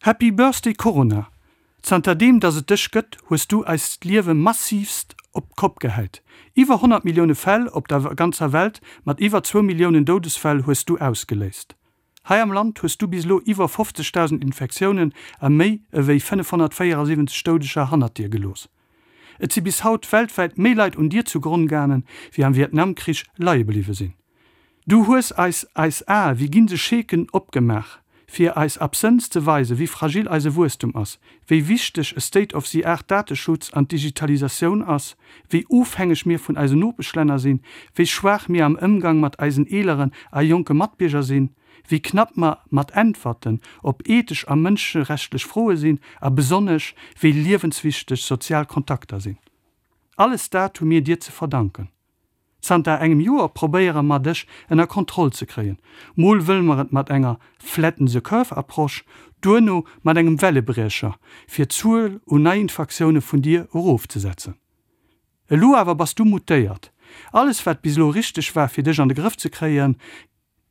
Happy Birthday Corona! Zanter deem dass et dech gëtt, hues du eist Liewe massivst op d'Kopp gehäit. Iwwer 100 Millioune Fäll op der ganzer Welt mat iwwer zwou Milliounen Doudesfäll hues du ausgeléist. Hei am Land hues du bis elo iwwer 50.000 Infektiounen a méi ewéi 574 Doudeger hannert dir gelooss. Et si bis haut weltwäit méi Leit un dir zu Gronn gaangen, wéi am Vietnamkrich leie bliwwe sinn. Du hues eis eis Ae wéi ginn se Scheeken opgemaach, fir eis absënns ze weisen, wéi fragil eise Wuesstum ass, wéi wichteg e State-of-the-art Dateschutz an d'Digitalisatioun ass, wéi ofhängeg mir vun eisen Nopeschlänner sinn, wéi schwaach mir am Ëmgang mat eisen eeleren a jonke Matbierger sinn, wéi knapp mer mat Äntwerten op ethesch a mënschenrechtlech Froe sinn a besonnesch wéi liewenswichteg sozial Kontakter sinn. Alles dat hu mir dir ze verdanken. Zanter engem Joer probéiere mer dech ënner Kontroll ze kréien. Mol wëlle mer et mat enger Flatten the curve Approche, duerno mat engem Wellebriecher, fir d'Zuel un Neiinfaktioune vun dir erofzesetzen. Elo awer bass du mutéiert. Alles wat bis elo richteg war fir dech an de Grëff ze kréien,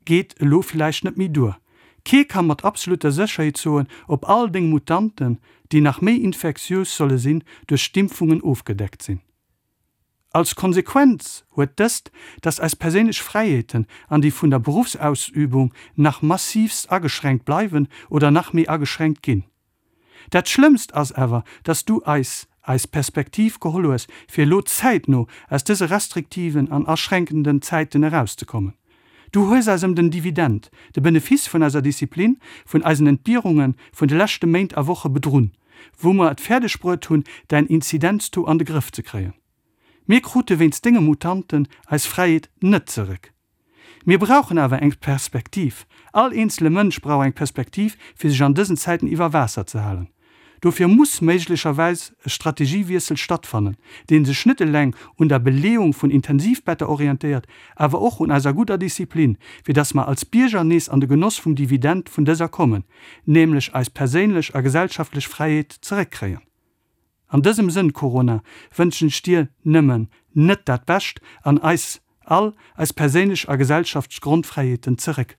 geet elo villäicht net méi duer. Kee ka mat absolutter Sécherheet soen, ob all deng Mutanten, déi nach méi infektiös solle sinn, duerch d'Impfungen ofgedeckt sinn. Als Konsequenz huet dëst, dass eis perséinlech Fräiheeten an déi vun der Beruffsausübung nach massivst ageschränkt bleiwen oder nach méi ageschränkt ginn. Dat Schlëmmst ass awer, dass du eis eis Perspektiv geholl hues, fir elo zäitno aus dëse restriktiven an aschränkenden Zäiten erauszekommen. Du hues eis ëm den Dividend, de Benefice vun eiser Disziplin, vun eisen Entbierunge vun de leschte Méint a Woche bedrunn. wou mer et fäerdeg bruet hunn, däin Inzidenztaux an de Grëff ze kréien. Mir krute wéinst denge Mutanten eis Fräiheet net zeréck. Mir brauchen awer eng Perspektiv. All eenzele Mënsch brauch eng Perspektiv, fir sech an dësen Zäiten iwwer Waasser ze halen. Dofir muss méiglecherwäis e Strategiewiessel stattfannen, dee sech net eleng un der Beleeung vun Intensivbetter orientéiert, awer och un eiser gudder Disziplin, fir dass mer als Bierger nees an de Genoss vum Dividend vun dëser kommen, nämlech eis perséinlech a gesellschaftlech Fräiheet zeréckkréien. An dësem Sënn, Corona, wënschen ech dir nëmmen net dat Bescht an eis all eis perséinlech a gesellschaftlech Grondfräiheeten zeréck.